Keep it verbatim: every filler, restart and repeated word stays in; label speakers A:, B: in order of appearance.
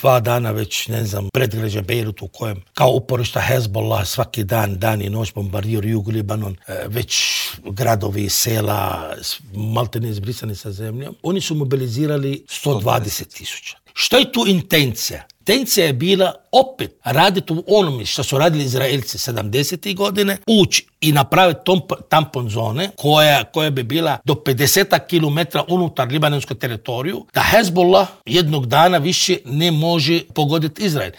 A: dva dana već, ne znam, predgrađa Bejrutu u kojem kao uporišta Hezbollah svaki dan, dan i noć bombardiraju jug Libanon, već gradovi, sela, maltene izbrisani sa zemljom. Oni su mobilizirali sto dvadeset tisuća. Što je tu intencija? Intencija je bila opet raditi u onome što su radili Izraelci sedamdesetih godine, ući i napraviti tampon zone koja, koja bi bila do pedeset kilometara unutar libanonskog teritoriju, da Hezbollah jednog dana više ne može pogoditi Izrael.